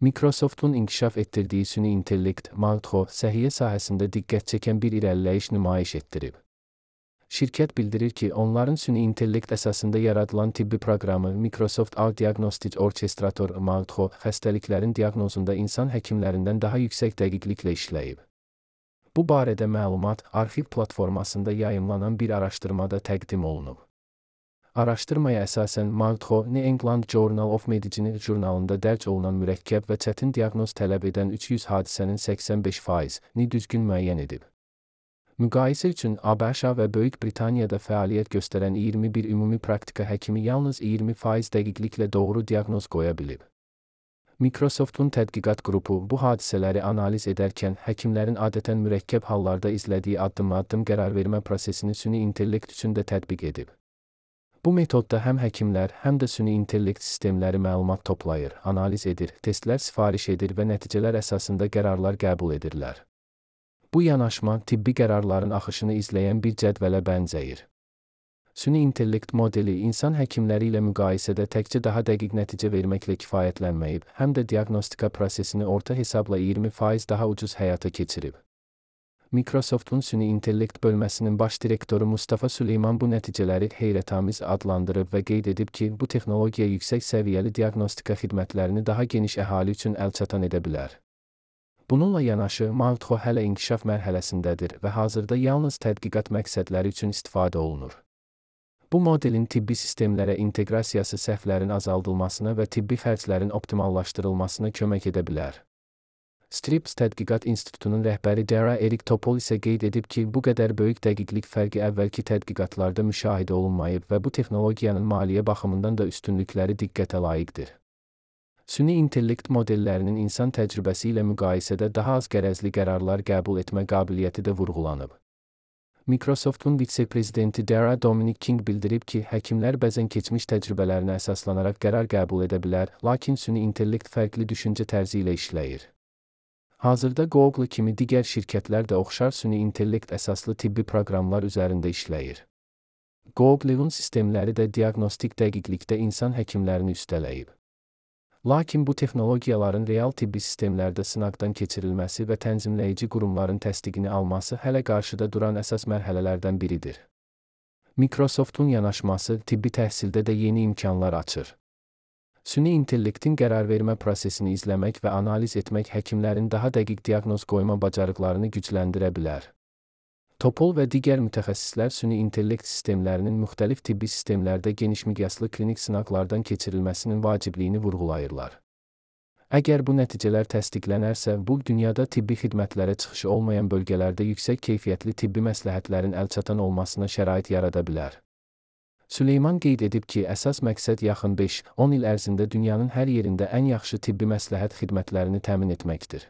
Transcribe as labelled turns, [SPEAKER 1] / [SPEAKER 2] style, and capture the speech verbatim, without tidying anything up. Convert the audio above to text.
[SPEAKER 1] Microsoft'un inkişaf etdirdiyi süni intellekt, Mauth'o, səhiyyə sahəsində diqqət çəkən bir irəliləyiş nümayiş etdirib. Şirkət bildirir ki, onların süni intellekt əsasında yaradılan tibbi proqramı Microsoft Our Diagnostic Orchestrator Mauth'o xəstəliklərin diaqnozunda insan həkimlərindən daha yüksək dəqiqliklə işləyib. Bu barədə məlumat arxiv platformasında yayımlanan bir araşdırmada təqdim olunub. Araşdırmaya əsasən Mauth'o, New England Journal of Medicine jurnalında dərc olunan mürəkkəb və çətin diaqnoz tələb edən üç yüz hadisənin səksən beş faizini düzgün müəyyən edib. Müqayisə üçün A B Ş və Böyük Britaniyada fəaliyyət göstərən iyirmi bir ümumi praktika həkimi yalnız iyirmi faiz dəqiqliklə doğru diaqnoz qoya bilib. Microsoft'un tədqiqat qrupu bu hadisələri analiz edərkən həkimlərin adətən mürəkkəb hallarda izlədiyi addım-addım qərarvermə prosesini süni intellekt üçün də tətbiq edib. Bu metodda həm həkimlər, həm də süni intellekt sistemləri məlumat toplayır, analiz edir, testlər sifariş edir və nəticələr əsasında qərarlar qəbul edirlər. Bu yanaşma tibbi qərarların axışını izləyən bir cədvələ bənzəyir. Süni intellekt modeli insan həkimləri ilə müqayisədə təkcə daha dəqiq nəticə verməklə kifayətlənməyib, həm də diaqnostika prosesini orta hesabla iyirmi faiz daha ucuz həyata keçirib. Microsoft'un süni intellekt bölməsinin baş direktoru Mustafa Süleyman bu nəticələri heyrətamiz adlandırıb və qeyd edib ki, bu texnologiya yüksək səviyyəli diaqnostika xidmətlərini daha geniş əhali üçün əlçatan edə bilər. Bununla yanaşı, Mauth'o hələ inkişaf mərhələsindədir və hazırda yalnız tədqiqat məqsədləri üçün istifadə olunur. Bu modelin tibbi sistemlərə inteqrasiyası səhvlərin azaldılmasına və tibbi xərclərin optimallaşdırılmasına kömək edə bilər. Scripps Tədqiqat İnstitutunun rəhbəri Dara Erik Topol isə qeyd edib ki, bu qədər böyük dəqiqlik fərqi əvvəlki tədqiqatlarda müşahidə olunmayıb və bu texnologiyanın maliyyə baxımından da üstünlükləri diqqətə layiqdir. Süni intellekt modellərinin insan təcrübəsi ilə müqayisədə daha az qərəzli qərarlar qəbul etmə qabiliyyəti də vurğulanıb. Microsoft'un vitse-prezidenti Dara Dominic King bildirib ki, həkimlər bəzən keçmiş təcrübələrinə əsaslanaraq qərar qəbul edə bilər, lakin süni intellekt fərqli düşüncə tərzi ilə işləyir. Hazırda Google kimi digər şirkətlər də oxşar süni intellekt əsaslı tibbi proqramlar üzərində işləyir. Google'un sistemləri də diaqnostik dəqiqlikdə insan həkimlərini üstələyib. Lakin bu texnologiyaların real tibbi sistemlərdə sınaqdan keçirilməsi və tənzimləyici qurumların təsdiqini alması hələ qarşıda duran əsas mərhələlərdən biridir. Microsoft'un yanaşması tibbi təhsildə də yeni imkanlar açır. Süni intellektin qərarvermə prosesini izləmək və analiz etmək həkimlərin daha dəqiq diaqnoz qoyma bacarıqlarını gücləndirə bilər. Topol və digər mütəxəssislər süni intellekt sistemlərinin müxtəlif tibbi sistemlərdə geniş miqyaslı klinik sınaqlardan keçirilməsinin vacibliyini vurğulayırlar. Əgər bu nəticələr təsdiqlənərsə, bu dünyada tibbi xidmətlərə çıxışı olmayan bölgələrdə yüksək keyfiyyətli tibbi məsləhətlərin əlçatan olmasına şərait yarada bilər. Süleyman qeyd edib ki, əsas məqsəd yaxın beş on il ərzində dünyanın hər yerində ən yaxşı tibbi məsləhət xidmətlərini təmin etməkdir.